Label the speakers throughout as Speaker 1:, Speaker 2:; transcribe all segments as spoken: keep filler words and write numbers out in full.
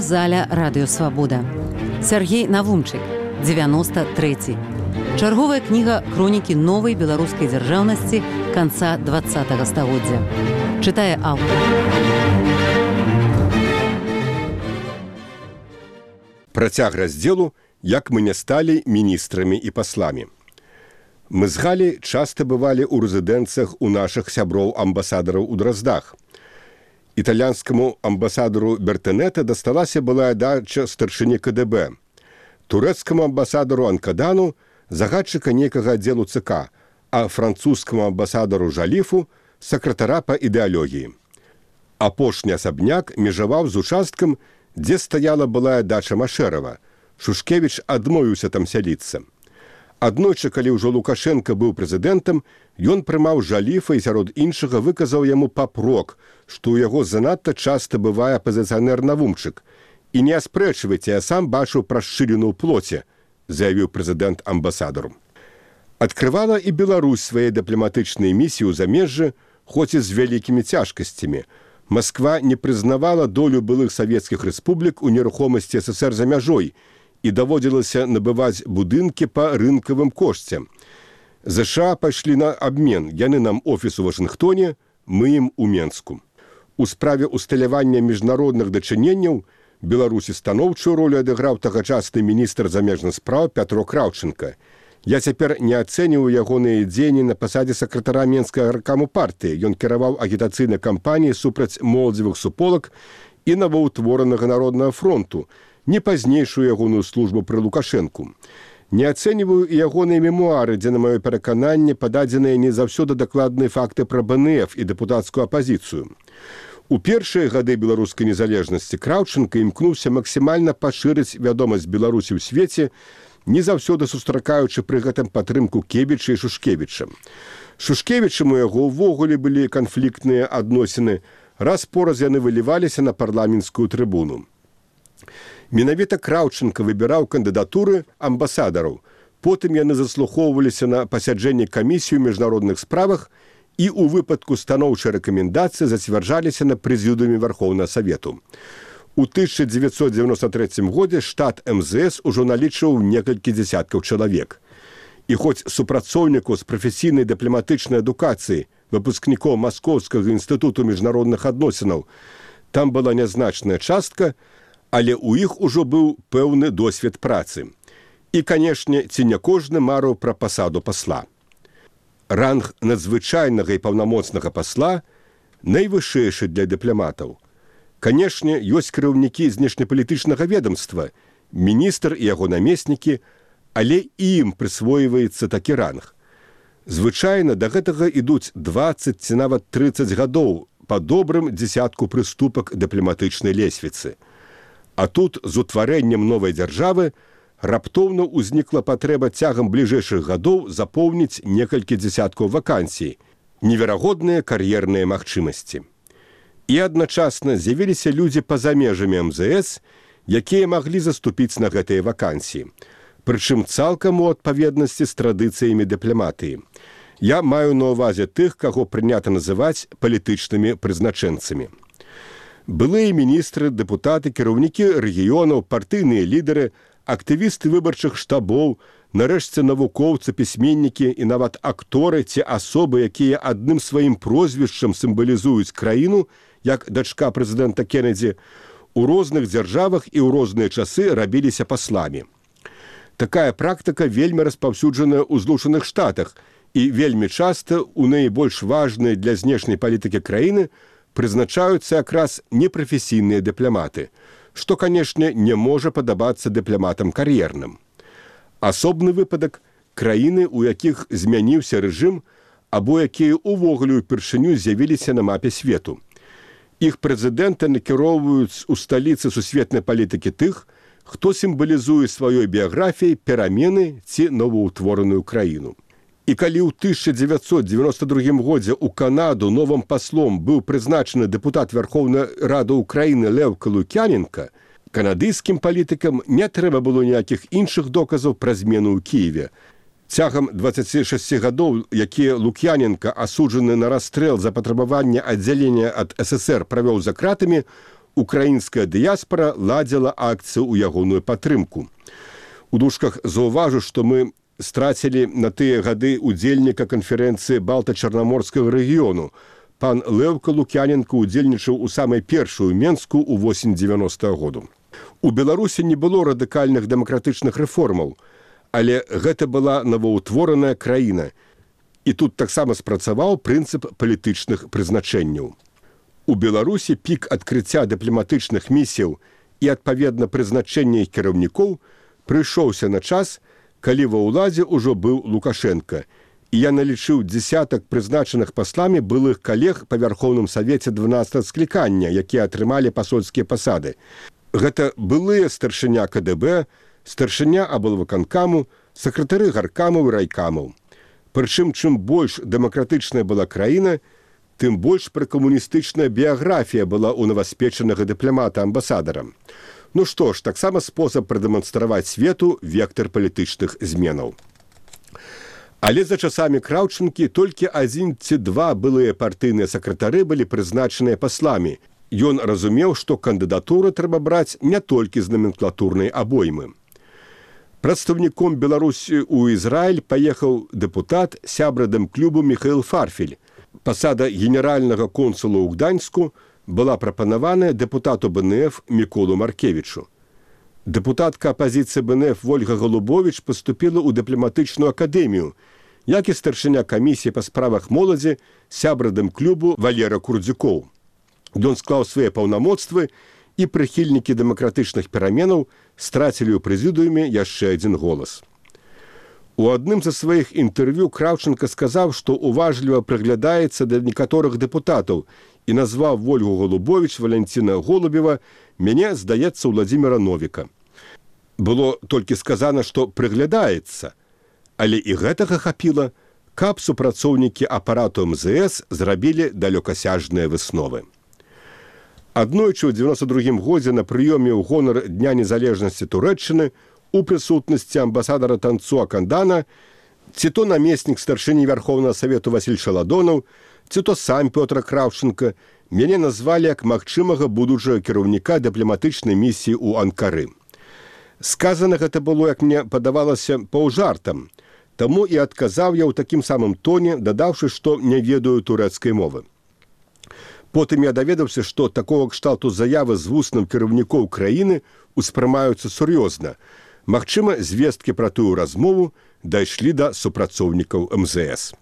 Speaker 1: Аўдыёзаля радыёсвабода. Сяргей Навумчык, дзевяносто трэці. Чарговая кніга хронікі новай беларускай дзяржаўнасці канца двадцатага стагоддзя. Чытае аўтар.
Speaker 2: Працяг раздзелу «Як мы не сталі міністрамі і пасламі». Мы з Галей часта бывалі ў рэзідэнцыях у нашых сяброў-амбасадараў у Драздах. Італьянскаму амбасадару Бертэнета дасталася былая дача старшыні ка дэ бэ. Турэцкаму амбасадару Анкадану загадчыка нейкага аддзелу цэ ка, а французскаму амбасадару Жаліфу сакратара па ідэалогіі. Апошні асабняк межаваў з участкам, дзе стаяла былая дача Машэрава. Шушкевіч адмовіўся там сяліцца. Аднойчы, калі ўжо Лукашенка быў прэзідэнтам, ён прымаў Жаліфа і сярод іншага выказаў яму папрок, што ў яго занадта часта бывае апазіцыянер Навумчык. І не аспрэчвайце, я сам бачыў прашчыліну ў плоце, заявіў прэзідэнт амбасадару. Адкрывала і Беларусь свае дыпламатычныя місіі ў замежжы, хоць і з вялікімі цяжкасцямі. Масква не прызнавала долю былых савецкіх рэспублік у нерухомасці эс эс эр за мяжой і даводзілася набываць будынкі па рынкавым кошце. зэ ша пайшлі на абмен, яны нам офіс у Вашынгтоне, мы ім у Менску. У справе усталявання міжнародных дачыненняў Беларусі станоўчую ролю адыграў тагачасны міністр замежных спраў Пятро Краўченка. Я цяпер не ацэньваю ягоныя дзеянні на пасадзе сакратара Менскага гаркаму партыі. Ён кіраваў агітацыйнай кампаніяй супраць моладзевых суполак і новаўтворанага народнага фронту, не пазнейшую ягоную службу пры Лукашэнку. Не ацэньваю і ягоныя мемуары, дзе, на маё перакананне, пададзеныя не заўсёды дакладныя факты пра бэ эн эф і дэпутацкую апазіцыю. У першыя гады беларускай незалежнасці Краўченка імкнуўся максімальна пашырыць вядомасць Беларусі ў свеце, не заўсёды сустракаючы пры гэтым падтрымку Кебіча і Шушкевіча. Шушкевічам у яго ўвогуле былі канфліктныя адносіны, раз-пораз яны выліваліся на парламенцкую трыбуну. Менавіта Краўченка выбіраў кандыдатуры амбасадараў. Потым яны заслухоўваліся на пасяджэнні камісіі ў міжнародных справах і ў выпадку станоўчай рэкамендацыі зацвярджаліся на прэзідыуме Вархоўнага Савету. У тысяча дзевяцьсот дзевяноста трэцім годзе штат эм зэ эс ужо налічваў некалькі дзясяткаў чалавек. І хоць супрацоўнікаў з прафесійнай дыпламатычнай адукацыі, выпускнікоў Маскоўскага інстытуту міжнародных адносінаў, там была нязначная частка, але ў іх ужо быў пэўны досвед працы. І, канешне, ці не кожны марыў пра пасаду пасла. Ранг надзвычайнага і паўнамоцнага пасла найвышэйшы для дыпламатаў. Канешне, ёсць кіраўнікі знешнепалітычнага ведамства, міністр і яго намеснікі, але і ім прысвойваецца такі ранг. Звычайна да гэтага ідуць дваццаць ці нават трыццаць гадоў па добрым дзесятку прыступак дыпламатычнай лесвіцы. А тут з утварэннем новай дзяржавы раптоўна ўзнікла патрэба цягам бліжэйшых гадоў запоўніць некалькі дзесяткаў вакансій, неверагодныя кар'ерныя магчымасці. І адначасна з'явіліся людзі па-за межамі эм зэ эс, якія маглі заступіць на гэтыя вакансіі, прычым цалкам у адпаведнасці з традыцыямі дыпламатыі. Я маю на ўвазе тых, каго прынята называць палітычнымі прызначэнцамі. Былыя міністры, дэпутаты, кіраўнікі рэгіёнаў, партыйныя лідары, актывісты выбарчых штабоў, нарэшце навукоўцы, пісьменнікі і нават акторы ці асобы, якія адным сваім прозвішчам сімвалізуюць краіну, як дачка прэзідэнта Кеннеді, у розных дзяржавах і ў розныя часы рабіліся пасламі. Такая практыка вельмі распаўсюджаная ў Злучаных Штатах і вельмі часта ў найбольш важныя для знешняй палітыкі краіны прызначаюцца якраз непрафесійныя дыпламаты, што, канешне, не можа падабацца дыпламатам кар'ерным. Асобны выпадак – краіны, у якіх змяніўся рэжым, або якія ўвогуле ўпершыню з'явіліся на мапе свету. Іх прэзідэнты накіроўваюць у сталіцы сусветнай палітыкі тых, хто сімвалізуе сваёй біяграфіяй перамены ці новаўтвораную краіну. І калі ў тысяча дзевяцьсот дзевяноста другім годзе ў Канаду новым паслом быў прызначаны дэпутат Верховнай Рады Украіны Леўка Лук'яненка, канадыйскім палітыкам не трэба было ніякіх іншых доказаў пра змену ў Кіеве. Цягам дваццаці шасці гадоў, якія Лук'яненка, асуджаны на расстрэл за патрабаванне аддзялення ад эс эс эр, правёў за кратамі, украінская дыяспара ладзіла акцыю ў ягоную падтрымку. У дужках заўважу, што мы страцілі на тыя гады удзельніка канферэнцыі Балта-Чарнаморскага рэгіёну. Пан Леўка Лук'яненко удзельнічаў у самай першую Менску ў восень дзевяностага году. У Беларусі не было радыкальных дэмакратычных рэформаў, але гэта была новаўтвораная краіна. І тут таксама спрацаваў прынцып палітычных прызначэнняў. У Беларусі пік адкрыцця дыпламатычных місіяў і, адпаведна, прызначэння іх кіраўнікоў прыйшоўся на час, калі ва ўладзе ўжо быў Лукашенка, і я налічыў дзесятак прызначаных пасламі былых калег па Вярхоўным Савеце дванаццатага склікання, якія атрымалі пасольскія пасады. Гэта былыя старшыня ка дэ бэ, старшыня аблвыканкаму, сакратары гаркамаў і райкамаў. Прычым, чым больш дэмакратычная была краіна, тым больш пракамуністычная біяграфія была ў новаспечанага дыпламата-амбасадара. Ну што ж, таксама спосаб прадэманстраваць свету вектар палітычных зменаў. Але за часамі Краўчынкі толькі адзін ці два былыя партыйныя сакратары былі прызначаныя пасламі. Ён разумеў, што кандыдатуру трэба браць не толькі з номенклатурнай абоймы. Прадстаўніком Беларусі ў Ізраіль паехаў дэпутат сябра дэмклубу Міхаіл Фарфель. Пасада генеральнага консула ў Гданьску была прапанаваная дэпутату бэ эн эф Міколу Маркевічу. Дэпутатка апазіцыі бэ эн эф Вольга Голубовіч паступіла ў дыпламатычную акадэмію, як і старшыня камісіі па справах моладзі сябра дэмклубу Валера Курдзюкоў. Ён склаў свае паўнамоцтвы, і прыхільнікі дэмакратычных пераменаў страцілі ў прэзідыуме яшчэ адзін голас. У адным з сваіх інтэрв'ю Краўчынка сказаў, што уважліва прыглядаецца да некаторых дэпутатаў і назваў Вольгу Голубовіч, Валянціна Голубева, мяне, здаецца, Владзіміра Новіка. Было толькі сказана, што прыглядаецца, але і гэтага хапіла, каб супрацоўнікі апарату эм зэ эс зрабілі далёкасяжныя высновы. Аднойчы ў дзевяноста другім годзе на прыёме ў гонар Дня незалежнасці Турэччыны у прысутнасці амбасадара Танцуа Кандана ці то намеснік старшыні Вярхоўнага Савету Васіль Шаладонаў, ці то сам Пётр Краўчынка мяне назвалі як магчымага будучага кіраўніка дыпламатычнай місіі ў Анкары. Сказана гэта было, як мне падавалася, паўжартам, таму і адказаў я ў такім самым тоне, дадаўшы, што не ведаю турэцкай мовы. Потым я даведаўся, што такога кшталту заявы з вусным кіраўнікоў краіны успрымаюцца сур'ёзна. Магчыма, звесткі пра тую размову дайшлі да супрацоўнікаў эм зэ эс.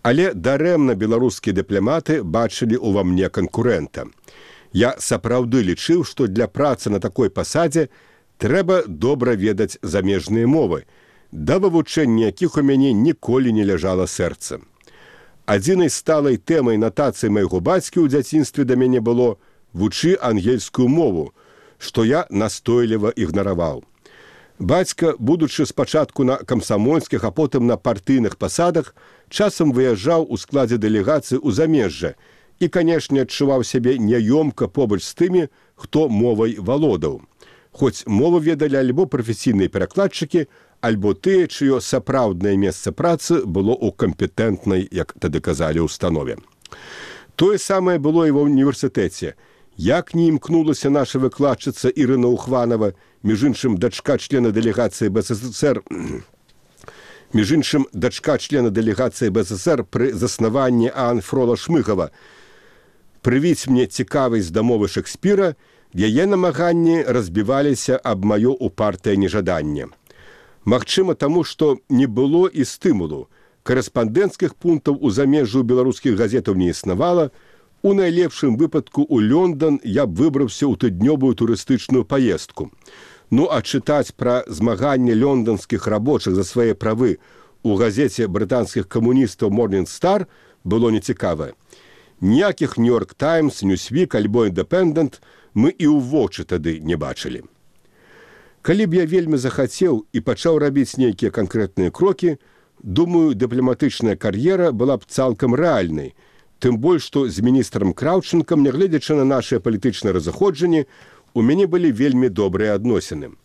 Speaker 2: Але дарэмна беларускія дыпламаты бачылі ўва мне канкурэнта. Я сапраўды лічыў, што для працы на такой пасадзе трэба добра ведаць замежныя мовы, да вывучэння якіх у мяне ніколі не ляжала сэрца. Адзінай сталай тэмай натацыі майго бацькі ў дзяцінстве да мяне было «вучы ангельскую мову», што я настойліва ігнараваў. Бацька, будучы спачатку на камсамольскіх, а потым на партыйных пасадах, часам выязджаў у складзе дэлегацыі ў замежжа і, канешне, адчуваў сябе няёмка побач з тымі, хто мовай валодаў. Хоць мову ведалі альбо прафесійныя перакладчыкі, альбо тыя, чыё сапраўднае месца працы было ў кампетэнтнай, як тады казалі, установе. Тое самае было і ва ўніверсітэце. Як не імкнулася наша выкладчыца Ірына Ухванова, між іншым дачка члена дэлегацыі бэ эс эс эс эр, між іншым дачка члена дэлегацыі бэ эс эс эс эр пры заснаванні Аан Фрола Шмыгава, прывіць мне цікавасць да мовы Шекспіра, яе намаганні разбіваліся аб маё упартае нежаданне. Магчыма, таму, што не было і стымулу. Карэспандэнцкіх пунктаў у замежжы ў беларускіх газетаў не існавала. У найлепшым выпадку ў Лёндан я б выбраўся ў тыднёвую турыстычную паездку. Ну, а чытаць пра змаганне лёнданскіх рабочых за свае правы у газеце брытанскіх камуністаў Morning Star было нецікава. Ніякіх Нью-Йорк Таймс, Ньюсвік альбо Independent мы і ў вочы тады не бачылі. Калі б я вельмі захацеў і пачаў рабіць нейкія канкрэтныя крокі, думаю, дыпламатычная кар'ера была б цалкам рэальнай, тым больш, што з міністрам Краўчынкам, нягледзячы на нашыя палітычныя разыходжанні, у мяне былі вельмі добрыя адносіны.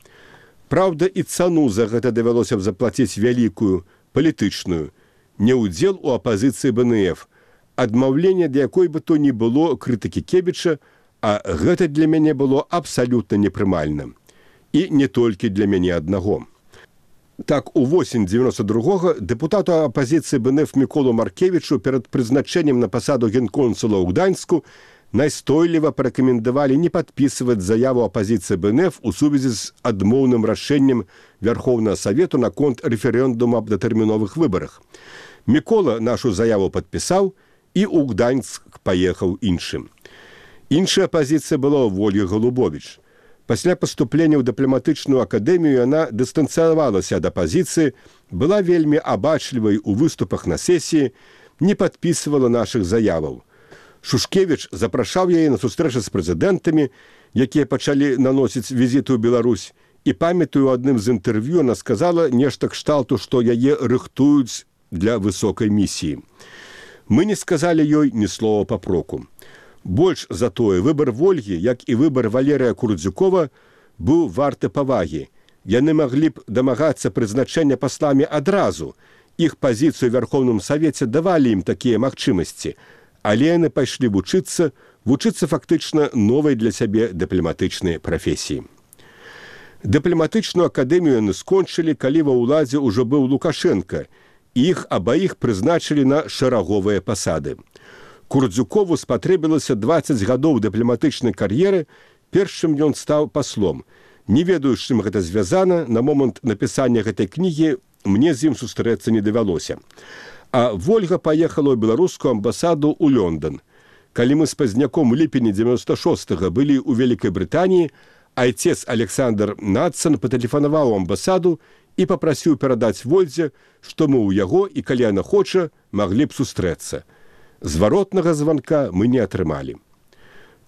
Speaker 2: Праўда, і цану за гэта давялося б заплаціць вялікую, палітычную, не ўдзел у апазіцыі бэ эн эф, адмаўленне, да якой бы то ні было крытыкі Кебіча, А гэта для мяне было абсалютна непрымальным. І не толькі для мяне аднаго. Так, у восень дзевяноста другога дэпутату апазіцыі БНФ Міколу Маркевічу перад прызначэннем на пасаду генконсула ў Гданьску найстойліва парэкамендавалі не падпісваць заяву апазіцыі БНФ у сувязі з адмоўным рашэннем Вярхоўнага Савету наконт рэферэндуму аб датэрміновых выбарах. Мікола нашу заяву падпісаў і ў Гданьск паехаў іншым. Іншая пазіцыя была ў Ольгі Голубовіч. Пасля паступлення ў дыпламатычную акадэмію яна дыстанцыявалася ад апазіцыі, была вельмі абачлівай у выступах на сесіі, не падпісвала нашых заяваў. Шушкевіч запрашаў яе на сустрэчы з прэзідэнтамі, якія пачалі наносіць візіты ў Беларусь, і памятаю, у адным з інтэрв'ю она сказала нешта кшталту, што яе рыхтуюць для высокай місіі. Мы не сказалі ёй ні слова папроку. Больш за тое, выбар Вольгі, як і выбар Валерыя Курдзюкова, быў варты павагі. Яны маглі б дамагацца прызначэння пасламі адразу. Іх пазіцыю ў Вярхоўным Савеце давалі ім такія магчымасці, але яны пайшлі вучыцца, вучыцца фактычна новай для сябе дыпламатычнай прафесіі. Дыпламатычную акадэмію яны скончылі, калі ва ўладзе ўжо быў Лукашенка, і іх абаіх прызначылі на шараговыя пасады. Курдзюкову спатрэбілася дваццаць гадоў дыпламатычнай кар'еры, перш чым ён стаў паслом. Не ведаю, з чым гэта звязана, на момант напісання гэтай кнігі мне з ім сустрэцца не давялося. А Вольга паехала ў беларускую амбасаду ў Лондон. Калі мы з пазняком у ліпені дзевяноста шостага былі ў Вялікай Брытаніі, айцец Александр Надсон патэлефанаваў у амбасаду і папрасіў перадаць Вольдзе, што мы ў яго і, калі яна хоча, маглі б сустрэцца. Зваротнага званка мы не атрымалі.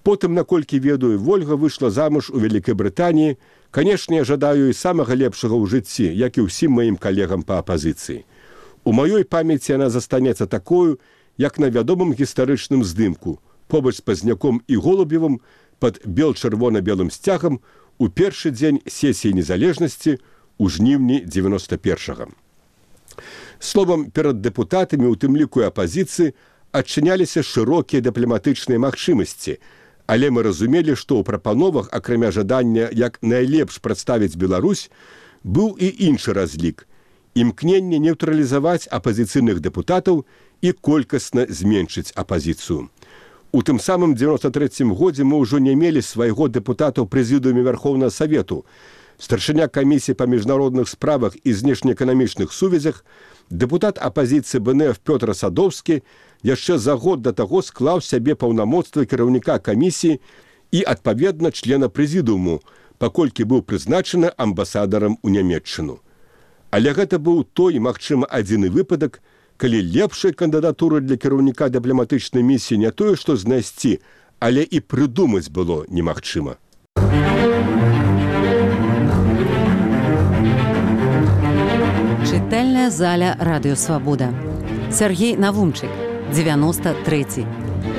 Speaker 2: Потым, наколькі ведаю, Вольга выйшла замуж у Вялікай Брытаніі. Канешне, я жадаю і самага лепшага ў жыцці, як і ўсім маім калегам па апазіцыі. У маёй памяці яна застанецца такою, як на вядомым гістарычным здымку, побач з Пазняком і Голубевым пад бел-чырвона-белым сцягам у першы дзень сесіі незалежнасці ў жніўні дзевяноста першага. Словам, перад дэпутатамі, у тым ліку і апазіцыі, адчыняліся шырокія дыпламатычныя магчымасці, але мы разумелі, што ў прапановах, акрамя жадання як найлепш прадставіць Беларусь, быў і іншы разлік – імкненне нейтралізаваць апазіцыйных дэпутатаў і колькасна зменшыць апазіцыю. У тым самым дзевяноста трэцім годзе мы ўжо не мелі свайго дэпутата ў прэзідыуме Вярхоўнага Савету. Старшыня камісіі па міжнародных справах і знешнеэканамічных сувязях, дэпутат апазіцыі БНФ Пётр Садоўскі яшчэ за год да таго склаў сябе паўнамоцтвы кіраўніка камісіі і, адпаведна, члена прэзідыуму, паколькі быў прызначаны амбасадарам у Нямецчыну. Але гэта быў той, магчыма, адзіны выпадак, калі лепшай кандыдатуры для кіраўніка дыпламатычнай місіі не тое, што знайсці, але і прыдумаць было немагчыма.
Speaker 1: Чытальная заля Радыё Свабода. Сергей Навумчык, дзевяноста трэці.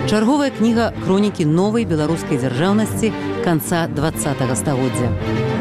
Speaker 1: Чарговая кніга хронікі новай беларускай дзяржаўнасці канца дваццатага стагоддзя.